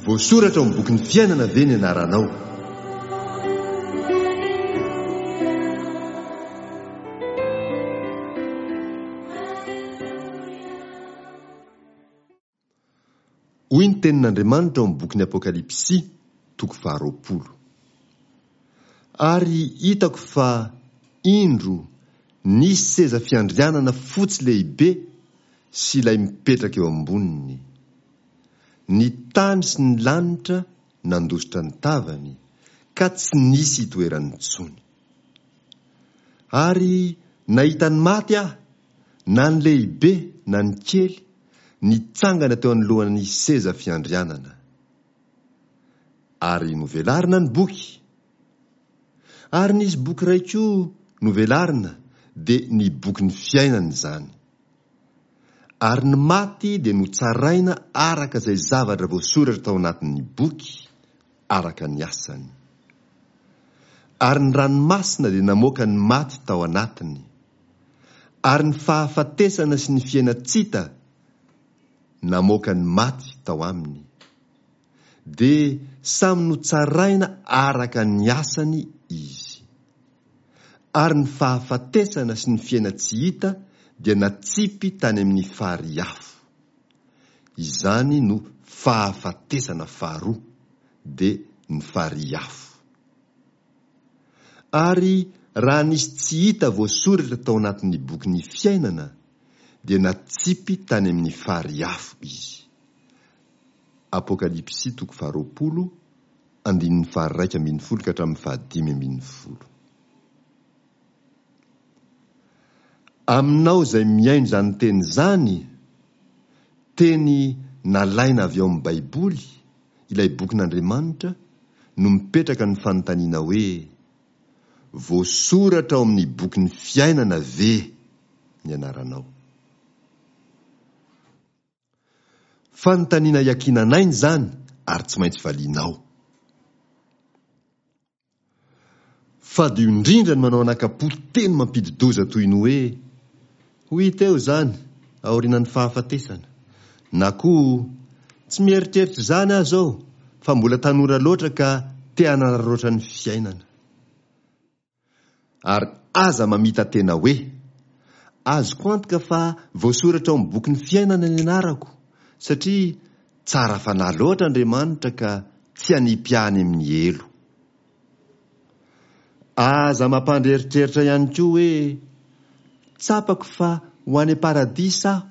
Voasoratra ao amin'ny bokin'ny fiainana ve ny anaranao? Hoy ny tenin'Andriamanitra ao amin'ny bokin'ny Apokalypsy, toko faharoapolo. Ary hitako fa, indro, nisy seza fiandrianana fotsy lehibe sy ilay mipetraka eo amboniny. Ny tany sy ny lanitra nandositra ny tavany, ka tsy nisy itoerany intsony. Ary nahita ny maty aho, na ny lehibe na ny kely, nitsangana teo anoloan'ny seza fiandrianana. Ary novelarina ny boky. Ary nisy boky iray koa novelarina, dia ny bokin'ny fiainana izany. Ary ny maty dia notsaraina araka izay zavatra voasoratra tao anatin'ny boky, araka ny asany. Ary ny ranomasina dia namoaka ny maty tao anatiny. Ary ny fahafatesana sy ny fiainan-tsita namoaka ny maty tao aminy. Dia samy notsaraina araka ny asany izy. Ary ny fahafatesana sy ny fiainan-tsy hita dia natsipy tany amin'ny farihy afo. Izany no fahafatesana faharoa, dia ny farihy afo. Ary raha nisy tsy hita voasoratra tao anatin'ny bokin'ny fiainana, dia natsipy tany amin'ny farihy afo izy. Apokalypsy toko faharoapolo, andininy faha-iraika ambin'ny folo ka hatramin'ny fahadimy ambin'ny folo. Aminao izay mihaino izany teny izany, teny nalaina avy ao amin'ny Baiboly, ilay bokin'Andriamanitra, no mipetraka ny fanontaniana hoe, Voasoratra ao amin'ny bokin'ny fiainana ve ny anaranao? Fanontaniana iankinan'aina izany ary tsy maintsy valianao. Fadio indrindra ny manao anakapo teny mampidi-doza toy ny hoe, Ho hita eo izany aorianan'ny fahafatesana. Na koa, Tsy mieritreritra izany aho izao fa mbola tanora loatra ka te hanararaotra ny fiainana. Ary aza mamita-tena hoe, Azoko antoka fa voasoratra ao amin'ny bokin'ny fiainana ny anarako, satria tsara fanahy loatra Andriamanitra ka tsy hanipy ahy any amin'ny helo. Aza mampandry eritreritra ihany koa hoe, Tsapako fa ho any am-paradisa aho,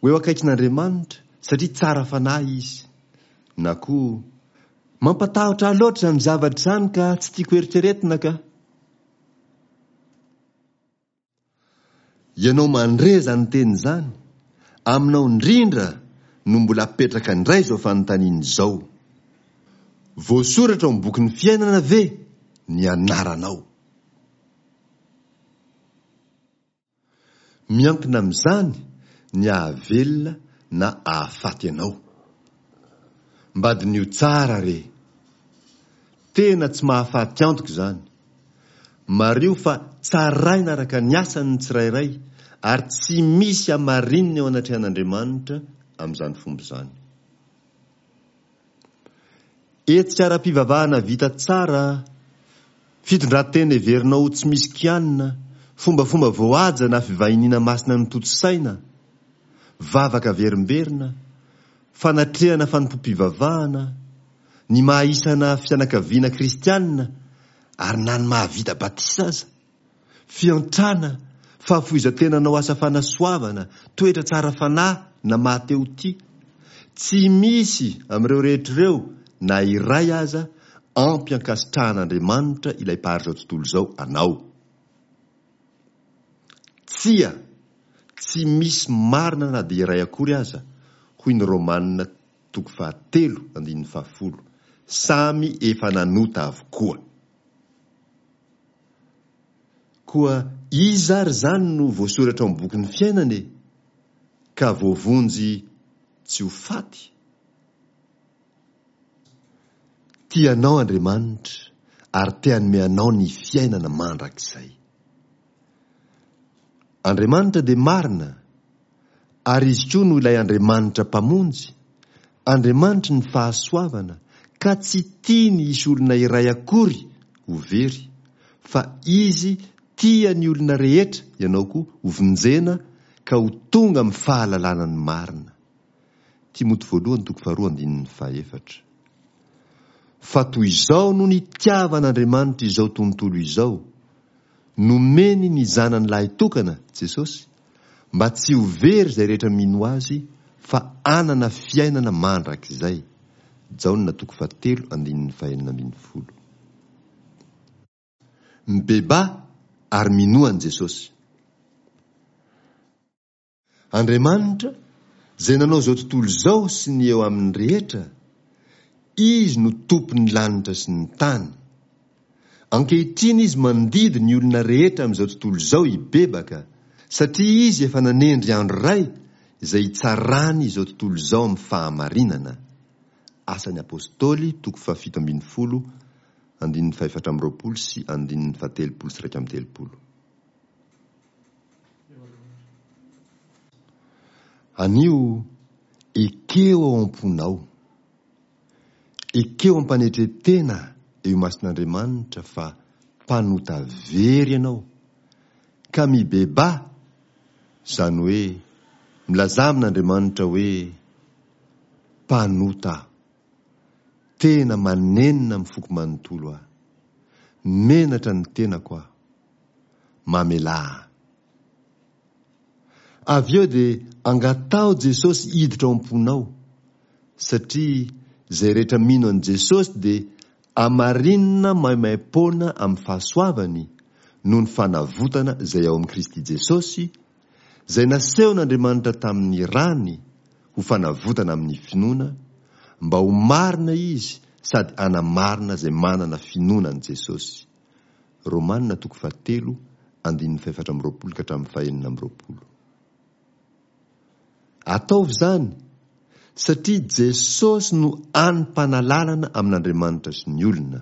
ho eo akaikin'Andriamanitra, satria tsara fanahy Izy. Na koa, Mampatahotra ahy loatra izany zavatra izany ka tsy tiako eritreretina ka. Ianao mandre izany teny izany, aminao indrindra no mbola apetraka indray izao fanontaniana izao, Voasoratra ao amin'ny bokin'ny fiainana ve ny anaranao? Miankina amin'izany ny ahavelona na ahafaty anao. Mba diniho tsara re! Tena tsy mahafaty antoka izany. Mariho fa tsaraina araka ny asany ny tsirairay ary tsy misy hamarinina eo anatrehan'Andriamanitra amin'izany fomba izany. Hetsika ara-pivavahana vita tsara, fitondran-tena heverinao ho tsy misy kianina, fombafomba voahaja na fivahiniana masina notontosaina, vavaka averimberina, fanatrehana fanompoam-pivavahana, ny maha-isana fianakaviana kristianina ary na ny maha-vita batisa aza. Fiantrana, fahafoizan-tena hanao asa fanasoavana, toetra tsara fanahy na maha-te ho tia. Tsy misy amin'ireo rehetra ireo na iray aza ampy ankasitrahan'Andriamanitra ilay Mpahary izao tontolo izao anao. Tsia, tsy misy marina na dia iray akory aza, hoy ny Romana toko fahatelo andininy fahafolo, samy efa nanota avokoa. Koa iza ary izany no voasoratra ao amin'ny bokin'ny fiainana e? Ka voavonjy tsy ho faty? Tia anao Andriamanitra ary te hanome anao ny fiainana mandrakizay. Andriamanitra dia marina, ary Izy koa no ilay Andriamanitra Mpamonjy. Andriamanitry ny fahasoavana ka tsy tiany hisy olona iray akory ho very fa Izy tia ny olona rehetra ianao koa ho vonjena ka ho tonga amin'ny fahalalana ny marina. Timoty voalohany toko faharoa andininy fahefatra. Fa toy izao no nitiavan'Andriamanitra izao tontolo izao, nomeny ny Zanany lahitokana, Jesosy, mba tsy ho very izay rehetra mino Azy fa hanana fiainana mandrakizay. Jaona toko fahatelo andininy fahenina ambin'ny folo. Mibebaha ary minoa an'i Jesosy. Andriamanitra, izay nanao izao tontolo izao sy ny eo aminy rehetra, Izy no Tompon'ny lanitra sy ny tany. Ankehitriny Izy mandidy ny olona rehetra amin'izao tontolo izao hibebaka, satria Izy efa nanendry andro iray izay hitsarany izao tontolo izao amin'ny fahamarinana. Asan'ny Apostoly, toko fahafito ambin'ny folo, andininy fahefatra amby roapolo sy andininy fahatelopolo sy iraika amby telopolo. Anio, ekeo ao am-ponao, ekeo am-panetren-tena eo imason'Andriamanitra fa mpanota very ianao, ka mibebaha, izany hoe milazà amin'Andriamanitra hoe, Mpanota aho. Tena manenina amin'ny foko manontolo aho. Menatra ny tenako aho. Mamelà ahy. Avy eo dia angataho Jesosy hiditra ao am-ponao, satria izay rehetra mino an'i Jesosy dia amarinina maimaim-poana amin'ny fahasoavany noho ny fanavotana izay ao amin'i Kristy Jesosy, izay nasehon'Andriamanitra tamin'ny rany ho fanavotana amin'ny finoana, mba ho marina izy sady hanamarina izay manana finoana an'i Jesosy. Romana toko fahatelo andininy fahefatra amby roapolo ka hatramin'ny fahenina amby roapolo. Ataovy izany satria Jesosy no hany mpanalalana amin'Andriamanitra sy ny olona.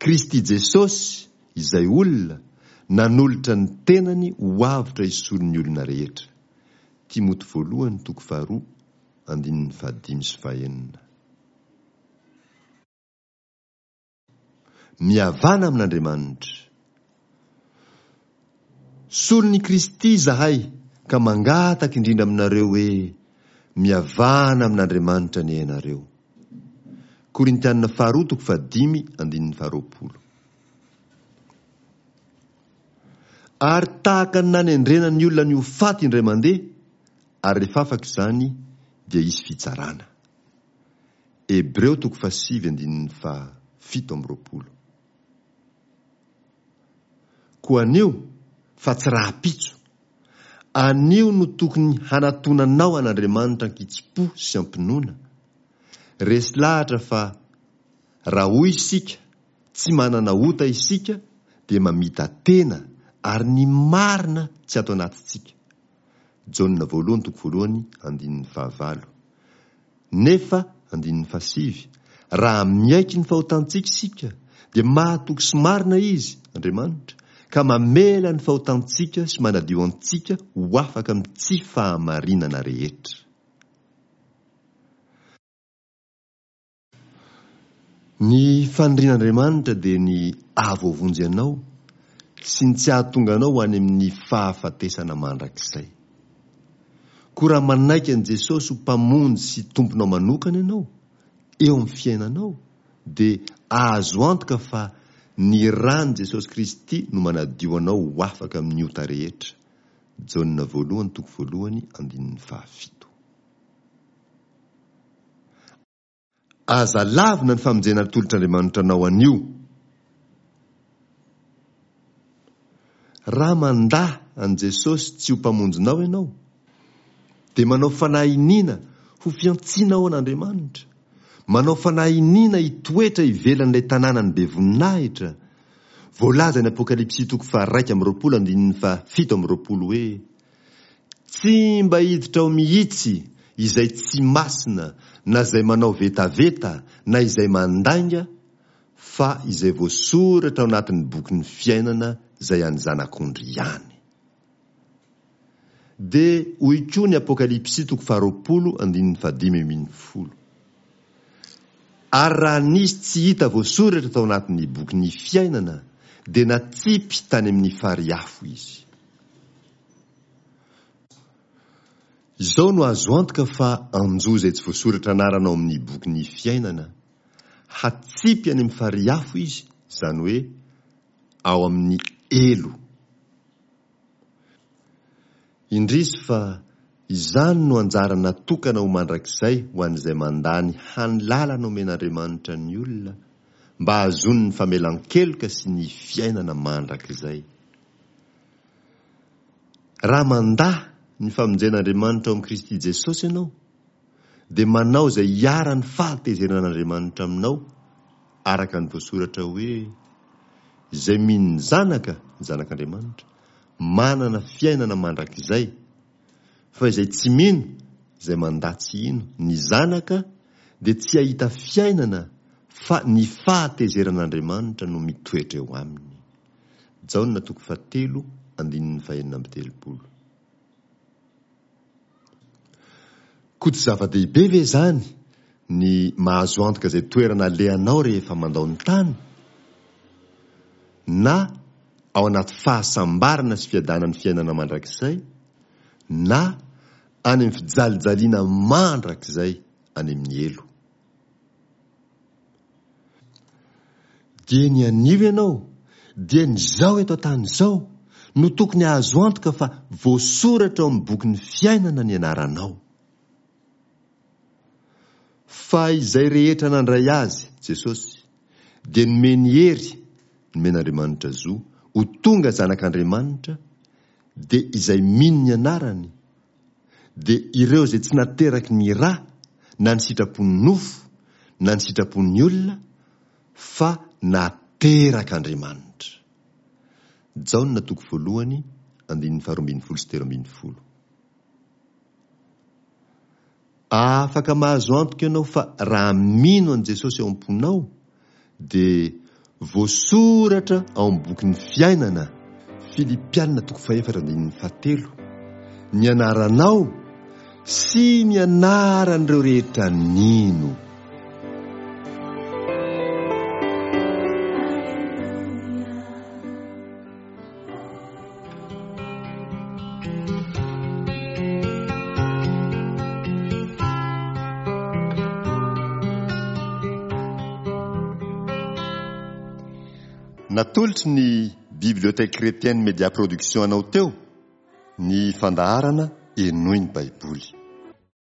Kristy Jesosy, izay olona, nanolotra ny tenany ho avotra hisolo ny olona rehetra. Timoty voalohany toko faharoa andininy fahadimy sy fahenina. Mihavana amin'Andriamanitra. Solon'i Kristy izahay ka mangataka indrindra aminareo hoe, mihavana amin'Andriamanitra anie ianareo. Korintiana faharoa toko fahadimy andininy faharoapolo. Ary tahaka ny nanendrena ny olona ny ho faty indray mandeha, ary rehefa afaka izany dia hisy fitsarana. Hebreo toko fahasivy andininy fahafito amby roapolo. Koa anio, fa tsy rahampitso, anio no tokony hanatonanao an'Andriamanitra an-kitsim-po sy am-pinoana, resy lahatra fa raha hoy isika tsy manana ota isika dia mamita-tena ary ny marina tsy ato anatintsika. Jaona voalohany toko voalohany andininy fahavalo. Nefa, andininy fahasivy, raha miaiky ny fahotantsika isika, dia mahatoky sy marina Izy, Andriamanitra, ka mamela ny fahotantsika sy manadio antsika ho afaka amin'ny tsy fahamarinana rehetra. Ny fanirian'Andriamanitra dia ny hahavoavonjy anao sy ny tsy hahatonga anao ho any amin'ny fahafatesana mandrakizay. Koa raha manaiky an'i Jesosy ho Mpamonjy sy Tomponao manokana ianao eo amin'ny fiainanao dia azo antoka fa ny ran'i Jesosy Kristy no manadio anao ho afaka amin'ny ota rehetra. Jaona voalohany toko voalohany andininy fahafito. Aza lavina ny famonjena atolotr'Andriamanitra anao anio. Raha mandà an'i Jesosy tsy ho Mpamonjinao ianao, dia manao fanahy iniana ho fiantsiana ao an'Andriamanitra, manao fanahy iniana hitoetra ivelan'ilay tanànan'ny be voninahitra, voalazan'ny Apokalypsy toko faha-21 andininy faha-27 hoe, Tsy mba hiditra ao mihitsy izay tsy masina na izay manao vetaveta na izay mandainga fa izay voasoratra ao anatin'ny bokin'ny fiainana izay an'ny Zanak'ondry ihany. Dia hoy koa ny Apokalypsy toko faharoapolo andininy fahadimy ambin'ny folo. Ary raha nisy tsy hita voasoratra tao anatin'ny bokin'ny fiainana, dia natsipy tany amin'ny farihy afo izy. Izao no azo antoka fa anjo izay tsy voasoratra anarana ao amin'ny bokin'ny fiainana, hatsipy any amin'ny farihy afo izy, izany hoe ao amin'ny helo. Indrisy fa izany no anjara natokana ho mandrakizay ho an'izay mandà ny hany lalana omen'Andriamanitra ny olona mba hahazoany ny famelan-keloka sy ny fiainana mandrakizay. Raha mandà ny famonjen'Andriamanitra ao amin'i Kristy Jesosy ianao, dia manao izay hiharan'ny fahatezeran'Andriamanitra aminao, araka ny voasoratra hoe, Izay mino ny Zanaka, ny Zanak'Andriamanitra, manana fiainana mandrakizay, fa izay tsy mino, izay mandà tsy hino, ny Zanaka, dia tsy hahita fiainana, fa ny fahatezeran'Andriamanitra no mitoetra eo aminy. Jaona toko fahatelo andininy fahenina amby telopolo. Koa tsy zava-dehibe ve izany ny mahazo antoka izay toerana alehanao rehefa mandao ny tany? Na ao anaty fahasambarana sy fiadanan'ny fiainana mandrakizay, na any amin'ny fijalijaliana mandrakizay any amin'ny helo. Dia ny anio ianao, dia ny izao eto an-tany izao, no tokony hahazo antoka fa voasoratra ao amin'ny bokin'ny fiainana ny anaranao. Fa izay rehetra nandray Azy, Jesosy, dia nomeny hery, nomen'Andriamanitra zo, ho tonga zanak'Andriamanitra, dia izay mino ny anarany, dia ireo izay tsy nateraky ny ra na ny sitrapon'ny nofo na ny sitrapon'ny olona fa naterak'Andriamanitra. Jaona toko voalohany andininy faharoa ambin'ny folo sy telo ambin'ny folo. Afaka mahazo antoka ianao fa raha mino an'i Jesosy ao am-ponao dia voasoratra ao amin'ny bokin'ny fiainana, Filipiana toko fahefatra andininy fahatelo, ny anaranao sy ny anaran'ireo rehetra nino. Natolotry ny Bibliothèque Chrétienne Media Production anao teo ny fandaharana Henoy ny Baiboly.